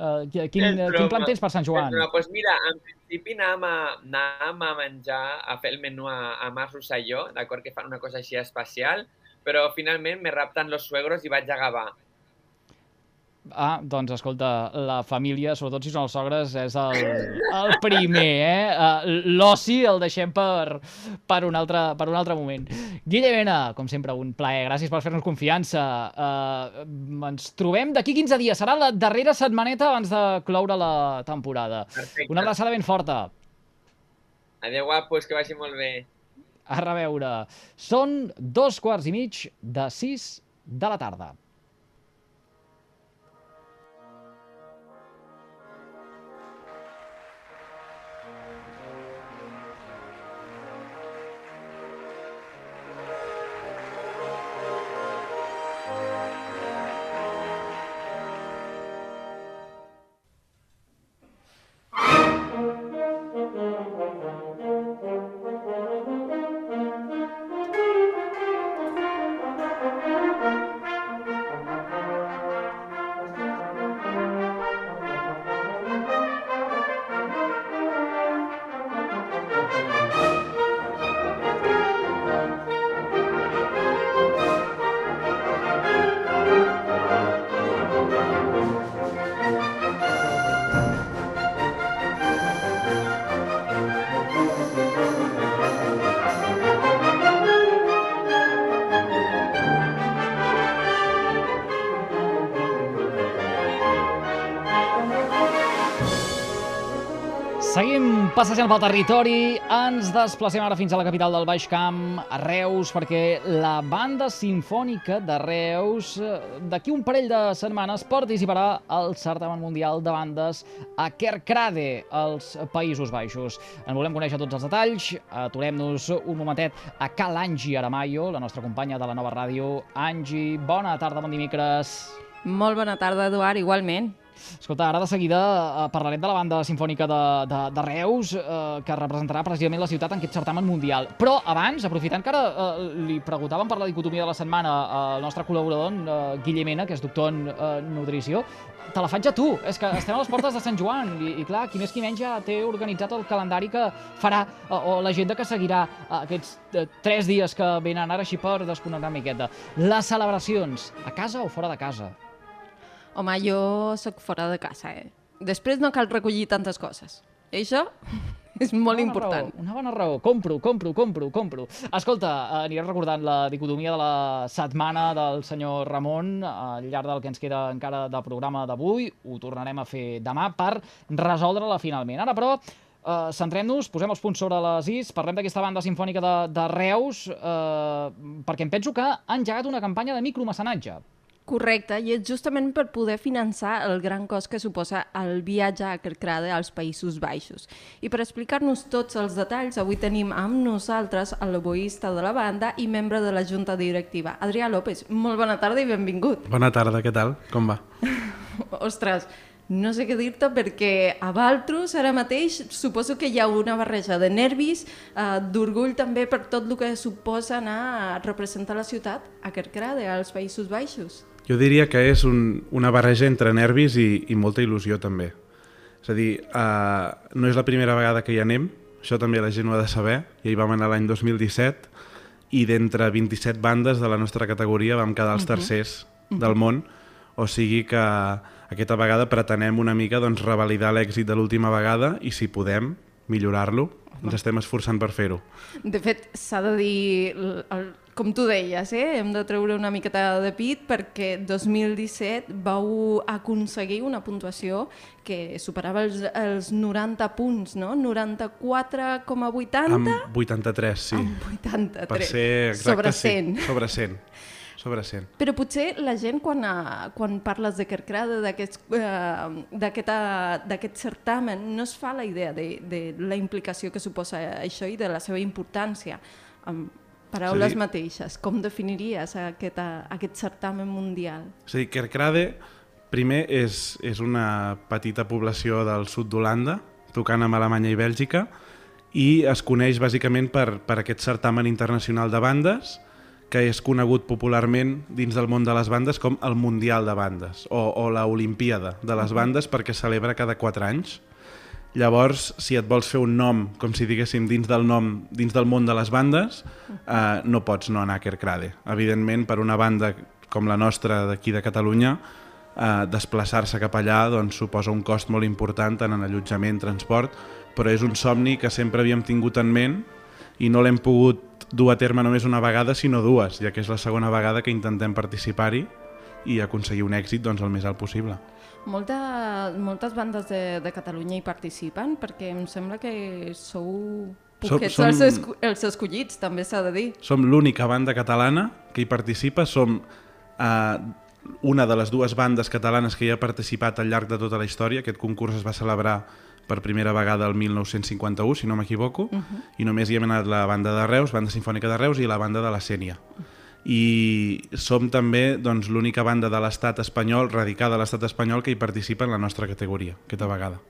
Quin plan tens per Sant Joan? Doncs mira, en principi anàvem a menjar, a fer el menú a Mas Rosselló, d'acord, que fan una cosa així especial, però finalment me rapten los suegros i vaig a Gavà. Doncs escolta, la família, sobretot si són els sogres, és el primer, L'oci el deixem per un altre moment. Guille Mena, com sempre, un plaer. Gràcies per fer-nos confiança. Ens trobem d'aquí 15 dies. Serà la darrera setmaneta abans de cloure la temporada. Perfecte. Una abraçada ben forta. Adéu, guapos, que vagi molt bé. A reveure. Són 5:15 de la tarda. Seguim passejant pel territori, ens desplacem ara fins a la capital del Baix Camp, a Reus, perquè la Banda Simfònica de Reus d'aquí un parell de setmanes participarà al certamen mundial de bandes a Kerkrade, als Països Baixos. En volem conèixer tots els detalls, aturem-nos un momentet a Cal Angie Aramayo, la nostra companya de la nova ràdio. Angie, bona tarda, bon dimecres. Molt bona tarda, Eduard, igualment. Escolta, ara de seguida parlarem de la Banda Simfònica de Reus, que representarà precisament la ciutat en aquest certamen mundial. Però abans, aprofitant que ara li preguntàvem per la dicotomia de la setmana al nostre col·laborador, Guille Mena, que és doctor en nutrició, te la faig a tu. És que estem a les portes de Sant Joan i clar, qui més qui menys ja té organitzat el calendari que farà o l'agenda que seguirà aquests 3 dies que venen ara així per desconnectar una miqueta. Les celebracions, a casa o fora de casa? Home, jo sóc fora de casa, Després no cal recollir tantes coses. I això és molt important. Una bona raó. Compro. Escolta, aniré recordant la dicotomia de la setmana del senyor Ramon al llarg del que ens queda encara de programa d'avui. Ho tornarem a fer demà per resoldre-la finalment. Ara, però, centrem-nos, posem els punts sobre les is, parlem d'aquesta banda simfònica de Reus, perquè em penso que han engegat una campanya de micromecenatge. Correcte, i és justament per poder finançar el gran cost que suposa el viatge a Kerkrade als Països Baixos. I per explicar-nos tots els detalls, avui tenim amb nosaltres l'oboista de la banda i membre de la junta directiva, Adrià López. Molt bona tarda i benvingut. Bona tarda, què tal? Com va? Ostres, no sé què dir-te perquè a Valtros ara mateix suposo que hi ha una barreja de nervis, d'orgull també per tot el que suposa anar a representar la ciutat a Kerkrade, als Països Baixos. Jo diria que és una barreja entre nervis i molta il·lusió també. És a dir, no és la primera vegada que hi anem, això també la gent ho ha de saber, ja hi vam anar l'any 2017 i d'entre 27 bandes de la nostra categoria vam quedar els tercers del món, o sigui que aquesta vegada pretenem una mica revalidar l'èxit de l'última vegada i si podem millorar-lo, ens estem esforçant per fer-ho. De fet, s'ha de dir, com tu deies, hem de treure una miqueta de pit perquè 2017 vau aconseguir una puntuació que superava els 90 punts, no? 94,80? Amb 83, sí. Amb 83. Per ser exacte, sobre 100. Sí. Sobre 100. Sobre 100. Però potser la gent, quan parles de Kerkrade, d'aquest certamen, no es fa la idea de la implicació que suposa això i de la seva importància. Paraules mateixes, com definiries aquest certamen mundial? És a dir, Kerkrade, primer, és una petita població del sud d'Holanda, tocant amb Alemanya i Bèlgica, i es coneix bàsicament per aquest certamen internacional de bandes, que és conegut popularment dins del món de les bandes com el Mundial de Bandes o la Olimpíada de les bandes perquè es celebra cada 4 anys. Llavors, si et vols fer un nom, com si diguéssim, dins del món de les bandes, no pots no anar a Kerkrade. Evidentment, per una banda com la nostra d'aquí de Catalunya, desplaçar-se cap allà suposa un cost molt important tant en allotjament, transport, però és un somni que sempre havíem tingut en ment i no l'hem pogut dur a terme només una vegada, sinó dues, ja que és la segona vegada que intentem participar-hi i aconseguir un èxit el més alt possible. Moltes bandes de Catalunya hi participen, perquè em sembla que sou poquets els escollits, també s'ha de dir. Som l'única banda catalana que hi participa, som una de les dues bandes catalanes que hi ha participat al llarg de tota la història. Aquest concurs es va celebrar per primera vegada el 1951, si no m'equivoco, i només hi hem anat la banda de Reus, banda simfònica de Reus, i la banda de la Sénia. I som també l'única banda de l'estat espanyol, radicada a l'estat espanyol, que hi participa en la nostra categoria, aquesta vegada.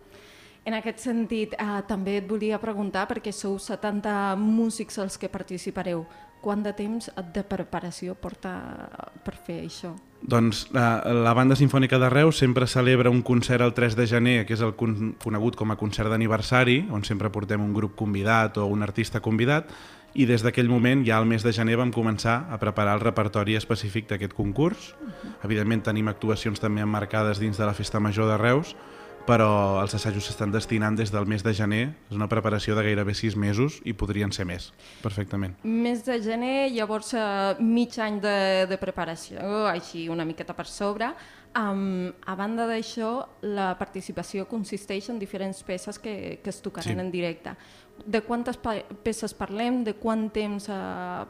En aquest sentit, també et volia preguntar, perquè sou 70 músics els que participareu, quant de temps de preparació porta per fer això? Doncs la banda simfònica de Reus sempre celebra un concert el 3 de gener, que és el conegut com a concert d'aniversari, on sempre portem un grup convidat o un artista convidat, i des d'aquell moment, ja al mes de gener, vam començar a preparar el repertori específic d'aquest concurs. Evidentment tenim actuacions també emmarcades dins de la Festa Major de Reus, però els assajos s'estan destinant des del mes de gener. És una preparació de gairebé 6 mesos i podrien ser més, perfectament. Mes de gener, llavors mig any de preparació, així una miqueta per sobre. A banda d'això, la participació consisteix en diferents peces que es tocaran en directe. De quantes peces parlem? De quant temps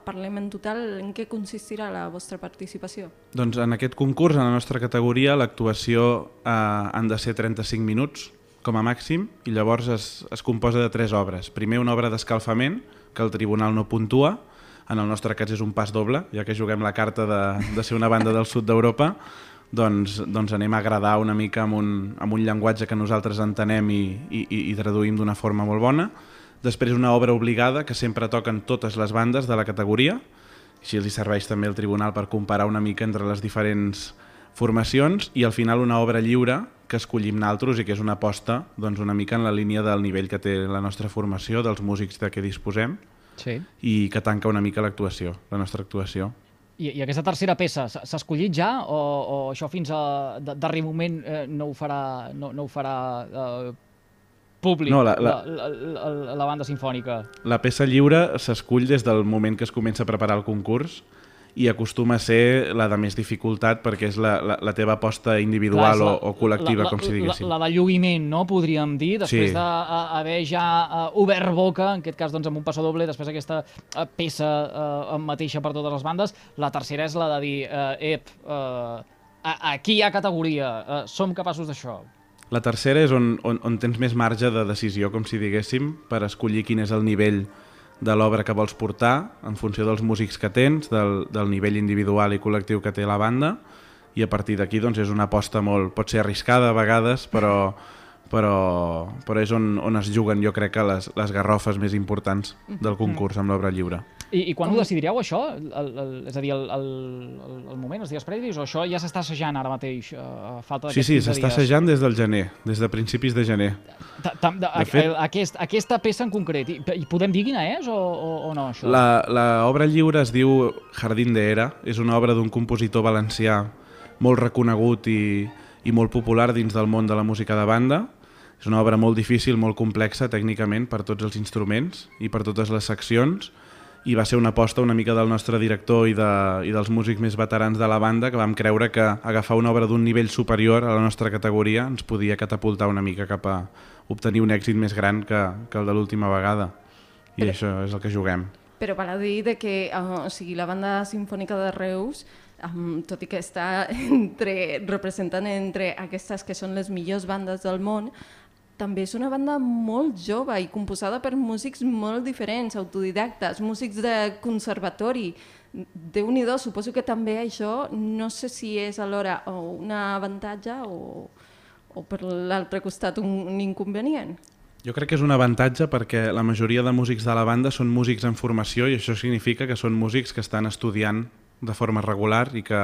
parlem en total? En què consistirà la vostra participació? Doncs en aquest concurs, en la nostra categoria, l'actuació han de ser 35 minuts com a màxim i llavors es composa de 3 obres. Primer una obra d'escalfament, que el tribunal no puntua, en el nostre cas és un pas doble, ja que juguem la carta de ser una banda del sud d'Europa, doncs anem a agradar una mica amb un llenguatge que nosaltres entenem i traduïm d'una forma molt bona. Després una obra obligada que sempre toquen totes les bandes de la categoria, així els serveix també el tribunal per comparar una mica entre les diferents formacions, i al final una obra lliure que escollim naltros i que és una aposta una mica en la línia del nivell que té la nostra formació, dels músics de què disposem, i que tanca una mica l'actuació, la nostra actuació. I aquesta tercera peça s'ha escollit ja o això fins a darrer moment no ho farà públic, No, la banda sinfònica? La peça lliure s'escull des del moment que es comença a preparar el concurs i acostuma a ser la de més dificultat perquè és la teva aposta individual o col·lectiva, com si diguéssim. La de lluïment, no? Podríem dir, després Sí. d'haver ja obert boca, en aquest cas doncs, amb un passadoble, després aquesta peça mateixa per totes les bandes. La tercera és la de dir, aquí hi ha categoria, som capaços d'això. La tercera és on tens més marge de decisió, com si diguéssim, per escollir quin és el nivell de l'obra que vols portar en funció dels músics que tens, del nivell individual i col·lectiu que té la banda, i a partir d'aquí doncs, és una aposta molt, pot ser arriscada a vegades, però és on es juguen, jo crec, que les garrofes més importants del concurs amb l'obra lliure. I quan ho decidiríeu, això? És a dir, el moment, els dies previs, o això ja s'està assajant ara mateix, a falta d'aquests 15 dies? Sí, s'està assajant des del gener, des de principis de gener. Aquesta peça en concret, i podem dir quina és o no, això? L'obra lliure es diu Jardín de Era, és una obra d'un compositor valencià molt reconegut i molt popular dins del món de la música de banda. És una obra molt difícil, molt complexa tècnicament per tots els instruments i per totes les seccions, i va ser una aposta una mica del nostre director i dels músics més veterans de la banda, que vam creure que agafar una obra d'un nivell superior a la nostra categoria ens podia catapultar una mica cap a obtenir un èxit més gran que el de l'última vegada. I això és el que juguem. Però val a dir que la banda sinfònica de Reus, tot i que està representant entre aquestes que són les millors bandes del món, també és una banda molt jove i composada per músics molt diferents, autodidactes, músics de conservatori. Déu-n'hi-do, suposo que també això no sé si és alhora un avantatge o per l'altre costat un inconvenient. Jo crec que és un avantatge perquè la majoria de músics de la banda són músics en formació i això significa que són músics que estan estudiant de forma regular i que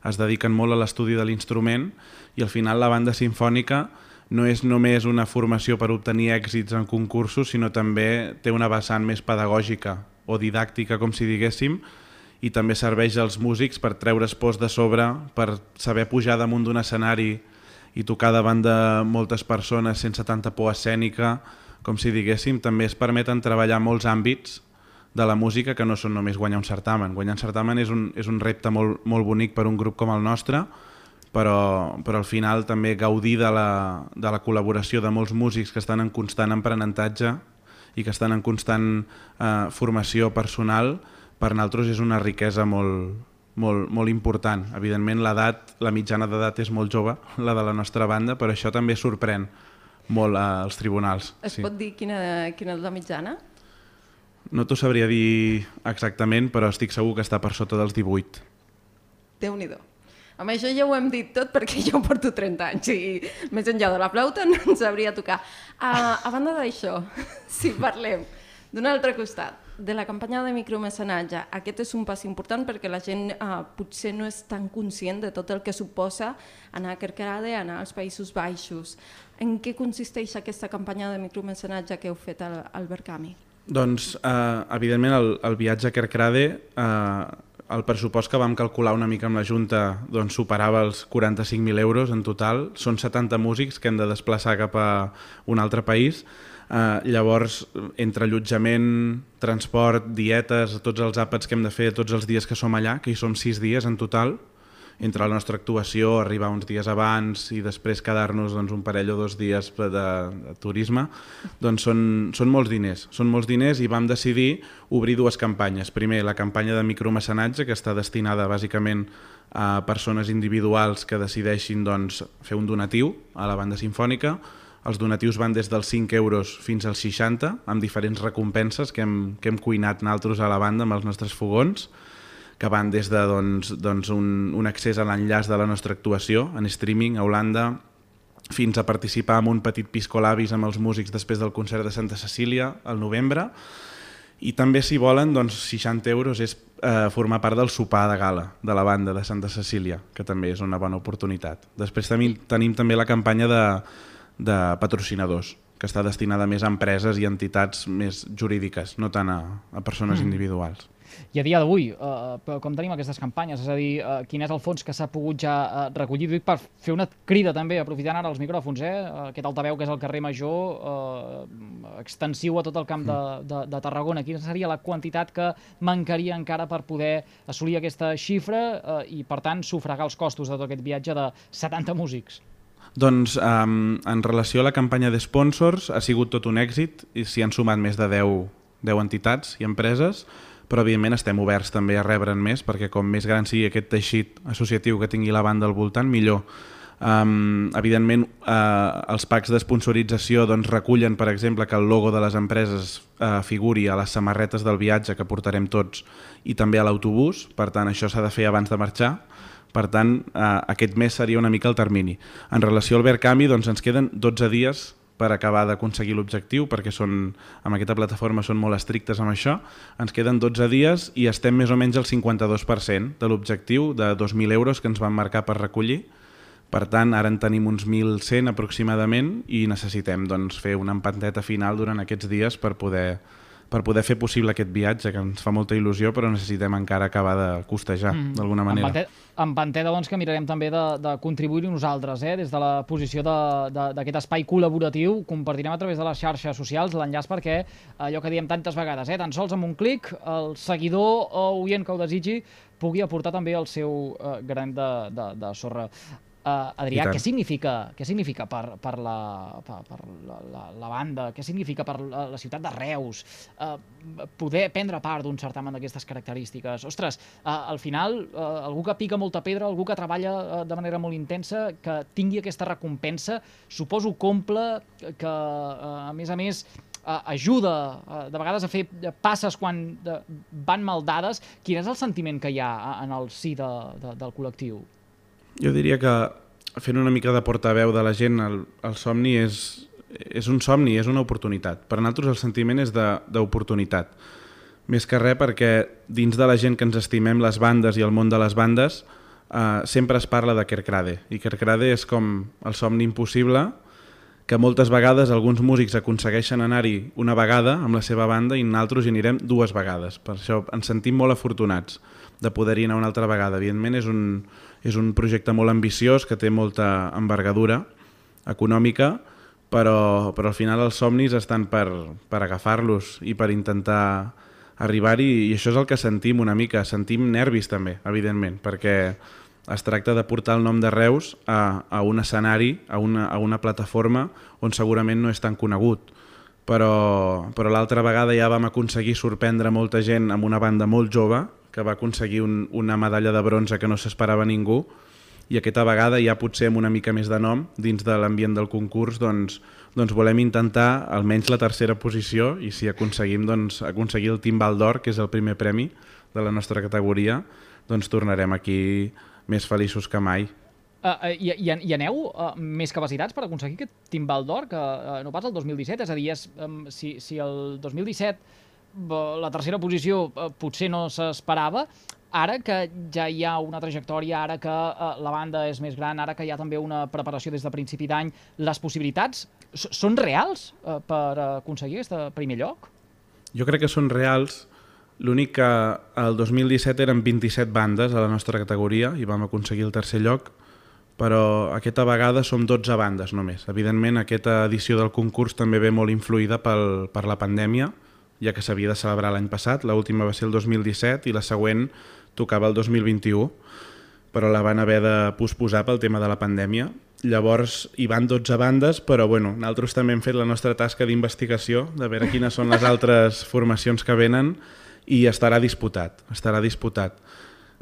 es dediquen molt a l'estudi de l'instrument, i al final la banda sinfònica no és només una formació per obtenir èxits en concursos, sinó també té una vessant més pedagògica o didàctica, com si diguéssim, i també serveix als músics per treure's pors de sobre, per saber pujar damunt d'un escenari i tocar davant de moltes persones sense tanta por escènica, com si diguéssim. També es permeten treballar molts àmbits de la música que no són només guanyar un certamen. Guanyar un certamen és un repte molt bonic per un grup com el nostre, però al final també gaudir de la col·laboració de molts músics que estan en constant aprenentatge i que estan en constant formació personal, per nosaltres és una riquesa molt important. Evidentment la mitjana d'edat és molt jove, la de la nostra banda, però això també sorprèn molt als tribunals. Es pot dir quina és la mitjana? No t'ho sabria dir exactament, però estic segur que està per sota dels 18. Déu-n'hi-do. Amb això ja ho hem dit tot perquè jo porto 30 anys i més enllà de la flauta no ens sabria tocar. A banda d'això, si parlem d'un altre costat, de la campanya de micromecenatge, aquest és un pas important perquè la gent potser no és tan conscient de tot el que suposa anar a Kerkrade, anar als Països Baixos. En què consisteix aquesta campanya de micromecenatge que heu fet al Berkami? Doncs, evidentment, el viatge a Kerkrade, el pressupost que vam calcular una mica amb la Junta doncs, superava els 45.000 euros en total. Són 70 músics que hem de desplaçar cap a un altre país. Llavors, entre allotjament, transport, dietes, tots els àpats que hem de fer tots els dies que som allà, que hi som 6 dies en total, entre la nostra actuació, arribar uns dies abans i després quedar-nos doncs, un parell o 2 dies de turisme, doncs són molts diners. Són molts diners i vam decidir obrir 2 campanyes. Primer, la campanya de micromecenatge, que està destinada bàsicament a persones individuals que decideixin doncs, fer un donatiu a la banda sinfònica. Els donatius van des dels 5 euros fins als 60, amb diferents recompenses que hem cuinat nosaltres a la banda amb els nostres fogons, que van des de un accés a l'enllaç de la nostra actuació en streaming a Holanda, fins a participar en un petit piscolabis amb els músics després del concert de Santa Cecília al novembre. I també, si volen, 60 euros és formar part del sopar de gala de la banda de Santa Cecília, que també és una bona oportunitat. Després tenim també la campanya de patrocinadors, que està destinada més a empreses i entitats més jurídiques, no tant a persones individuals. I a dia d'avui, com tenim aquestes campanyes? És a dir, quin és el fons que s'ha pogut ja recollir? Dic per fer una crida també, aprofitant ara els micròfons, aquest altaveu que és el carrer Major, extensiu a tot el camp de Tarragona. Quina seria la quantitat que mancaria encara per poder assolir aquesta xifra i, per tant, sufragar els costos de tot aquest viatge de 70 músics? Doncs en relació a la campanya de sponsors ha sigut tot un èxit i s'hi han sumat més de 10 entitats i empreses, però evidentment estem oberts també a rebre'n més, perquè com més gran sigui aquest teixit associatiu que tingui la banda al voltant, millor. Evidentment, els packs d'esponsorització recullen, per exemple, que el logo de les empreses figuri a les samarretes del viatge que portarem tots i també a l'autobús, per tant això s'ha de fer abans de marxar. Per tant, aquest mes seria una mica el termini. En relació al Verkami, ens queden 12 dies per acabar d'aconseguir l'objectiu, perquè amb aquesta plataforma són molt estrictes amb això. Ens queden 12 dies i estem més o menys al 52% de l'objectiu de 2.000 euros que ens van marcar per recollir. Per tant, ara en tenim uns 1.100 aproximadament i necessitem fer una empanteta final durant aquests dies per poder fer possible aquest viatge, que ens fa molta il·lusió, però necessitem encara acabar de costejar, d'alguna manera. Empanteta, que mirarem també de contribuir-hi nosaltres, des de la posició d'aquest espai col·laboratiu. Compartirem a través de les xarxes socials l'enllaç perquè, allò que diem tantes vegades, tan sols amb un clic, el seguidor o oient que ho desitgi pugui aportar també el seu granet de sorra. Adrià, què significa per la banda, què significa per la ciutat de Reus poder prendre part d'un certamen d'aquestes característiques? Ostres, al final, algú que pica molta pedra, algú que treballa de manera molt intensa, que tingui aquesta recompensa, suposo comple que, a més, ajuda de vegades a fer passes quan van mal dades. Quin és el sentiment que hi ha en el si del col·lectiu? Jo diria que fent una mica de portaveu de la gent, el somni és un somni, és una oportunitat. Per nosaltres el sentiment és d'oportunitat. Més que res perquè dins de la gent que ens estimem les bandes i el món de les bandes sempre es parla de Kerkrade. I Kerkrade és com el somni impossible que moltes vegades alguns músics aconsegueixen anar-hi una vegada amb la seva banda i nosaltres hi anirem 2 vegades. Per això ens sentim molt afortunats de poder-hi anar una altra vegada. Evidentment és un projecte molt ambiciós que té molta envergadura econòmica, però al final els somnis estan per agafar-los i per intentar arribar-hi, i això és el que sentim una mica. Sentim nervis també, evidentment, perquè es tracta de portar el nom de Reus a un escenari, a una plataforma on segurament no és tan conegut. Però l'altra vegada ja vam aconseguir sorprendre molta gent amb una banda molt jove que va aconseguir una medalla de bronze que no s'esperava ningú, i aquesta vegada ja potser amb una mica més de nom dins de l'ambient del concurs doncs volem intentar almenys la 3a posició, i si aconseguim aconseguir el Timbal d'Or, que és el primer premi de la nostra categoria, doncs tornarem aquí més feliços que mai. I aneu més capacitats per aconseguir aquest Timbal d'Or que no pas el 2017? És a dir, si el 2017 la 3a posició potser no s'esperava, ara que ja hi ha una trajectòria, ara que la banda és més gran, ara que hi ha també una preparació des de principi d'any, les possibilitats són reals per aconseguir aquest primer lloc? Jo crec que són reals. L'únic que el 2017 eren 27 bandes a la nostra categoria i vam aconseguir el 3è lloc, però aquesta vegada som 12 bandes només. Evidentment, aquesta edició del concurs també ve molt influïda per la pandèmia, ja que s'havia de celebrar l'any passat. L'última va ser el 2017 i la següent tocava el 2021, però la van haver de posposar pel tema de la pandèmia. Llavors hi van 12 bandes, però nosaltres també hem fet la nostra tasca d'investigació, de veure quines són les altres formacions que venen, i estarà disputat.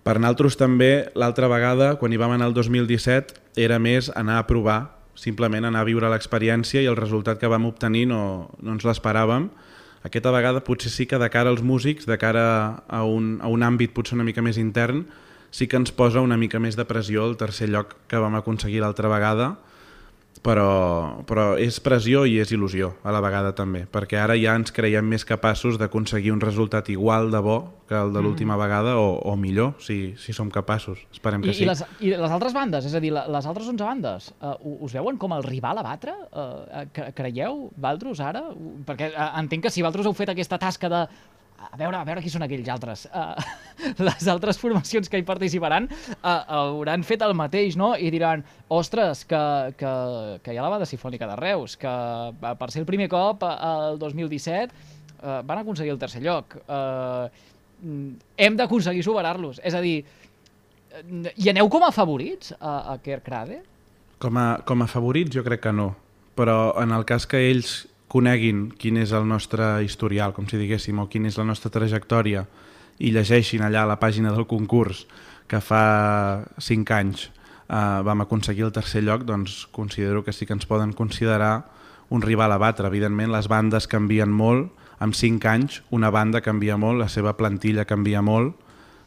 Per nosaltres també, l'altra vegada, quan hi vam anar el 2017, era més anar a provar, simplement anar a viure l'experiència, i el resultat que vam obtenir no ens l'esperàvem. Aquesta vegada potser sí que de cara als músics, de cara a un àmbit potser una mica més intern, sí que ens posa una mica més de pressió el 3è lloc que vam aconseguir l'altra vegada, però és pressió i és il·lusió a la vegada també, perquè ara ja ens creiem més capaços d'aconseguir un resultat igual de bo que el de l'última vegada o millor, si som capaços. Esperem que sí. I les altres bandes, és a dir, les altres 11 bandes, us veuen com el rival a batre? Creieu, Valtros, ara? Perquè entenc que si Valtros heu fet aquesta tasca de a veure qui són aquells altres. Les altres formacions que hi participaran hauran fet el mateix, no? I diran, ostres, que hi ha la banda simfònica de Reus, que per ser el primer cop, el 2017, van aconseguir el tercer lloc. Hem d'aconseguir superar-los. És a dir, hi aneu com a favorits a Kerkrade? Com a favorits jo crec que no, però en el cas que ells coneguin quin és el nostre historial, com si diguéssim, o quina és la nostra trajectòria, i llegeixin allà a la pàgina del concurs que fa 5 anys vam aconseguir el tercer lloc, doncs considero que sí que ens poden considerar un rival a batre. Evidentment, les bandes canvien molt, en 5 anys una banda canvia molt, la seva plantilla canvia molt,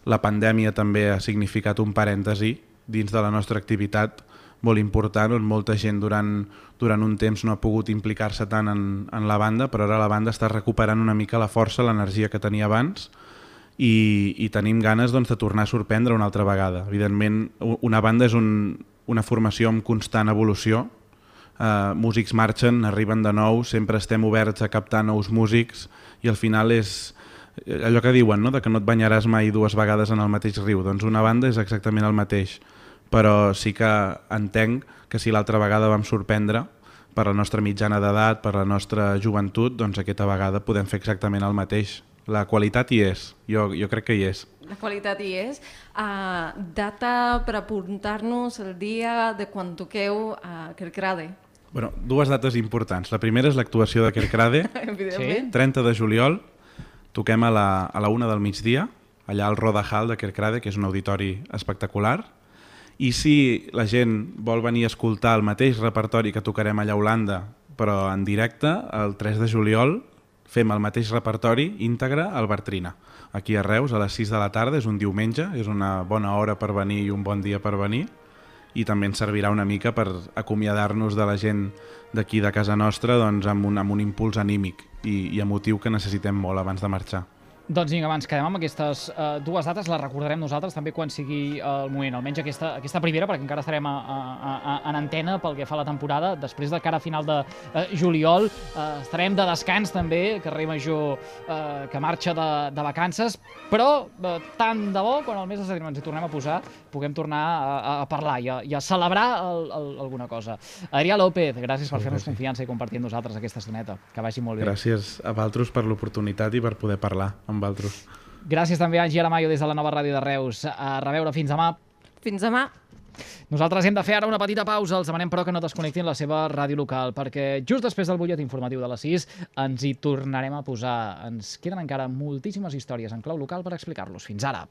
la pandèmia també ha significat un parèntesi dins de la nostra activitat molt important, on molta gent durant un temps no ha pogut implicar-se tant en la banda, però ara la banda està recuperant una mica la força, l'energia que tenia abans i tenim ganes doncs, de tornar a sorprendre una altra vegada. Evidentment, una banda és una formació amb constant evolució, músics marxen, arriben de nou, sempre estem oberts a captar nous músics i al final és allò que diuen, no? De que no et banyaràs mai 2 vegades en el mateix riu. Doncs una banda és exactament el mateix, però sí que entenc que si l'altra vegada vam sorprendre per la nostra mitjana d'edat, per la nostra joventut, doncs aquesta vegada podem fer exactament el mateix. La qualitat hi és, jo crec que hi és. La qualitat hi és. Data per apuntar-nos el dia de quan toqueu a Kerkrade. Bueno, 2 dates importants. La primera és l'actuació de Kerkrade, Evidentment. 30 de juliol, toquem a la 1 del migdia, allà al Roda Hall de Kerkrade, que és un auditori espectacular. I si la gent vol venir a escoltar el mateix repertori que tocarem allà a Holanda, però en directe, el 3 de juliol fem el mateix repertori íntegre al Bartrina. Aquí a Reus, a les 6 de la tarda, és un diumenge, és una bona hora per venir i un bon dia per venir, i també ens servirà una mica per acomiadar-nos de la gent d'aquí de casa nostra doncs, amb un impuls anímic i emotiu que necessitem molt abans de marxar. Doncs vinga, ens quedem amb aquestes 2 dates, les recordarem nosaltres també quan sigui el moment, almenys aquesta primera, perquè encara estarem en antena pel que fa a la temporada. Després de cara a final de juliol estarem de descans també, carrer Major que marxa de vacances, però tant de bo, quan el mes de setembre ens hi tornem a posar, puguem tornar a parlar i a celebrar alguna cosa. Adrià López, gràcies per fer-nos confiança i compartir amb nosaltres aquesta estoneta. Que vagi molt bé. Gràcies a Valtros per l'oportunitat i per poder parlar amb Valtros. Gràcies també a Angie Aramayo des de la nova ràdio de Reus. A reveure, fins demà. Fins demà. Nosaltres hem de fer ara una petita pausa. Els demanem però que no desconnectin la seva ràdio local, perquè just després del butlletí informatiu de les 6 ens hi tornarem a posar. Ens queden encara moltíssimes històries en clau local per explicar-los. Fins ara.